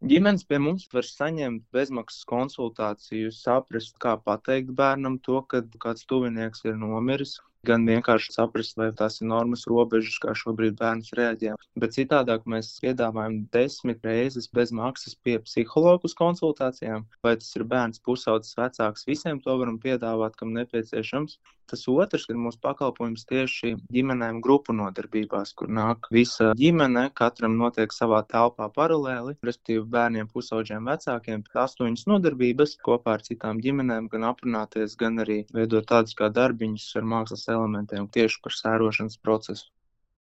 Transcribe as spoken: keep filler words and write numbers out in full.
Ģimenes pie mums var saņemt bezmaksas konsultāciju, saprast, kā pateikt bērnam to, kad kāds tuvinieks ir nomiris, gan vienkārši saprast, vai tās ir normas robežas, kā šobrīd bērns reaģē. Bet citādāk mēs piedāvājam desmit reizes bez maksas pie psihologu uz konsultācijām, vai tas ir bērns pusaudzis vecāks, visiem to varam piedāvāt, kam nepieciešams. Tas otrs ir mūsu pakalpojums tieši ģimenēm grupu nodarbībās, kur nāk visa ģimene, katram notiek savā telpā paralēli, respektīvi bērniem, pusauģiem, vecākiem, astoņas nodarbības kopā ar citām ģimenēm, gan aprunāties, gan arī veidot tādus kā darbiņus ar mākslas elementiem tieši par sērošanas procesu.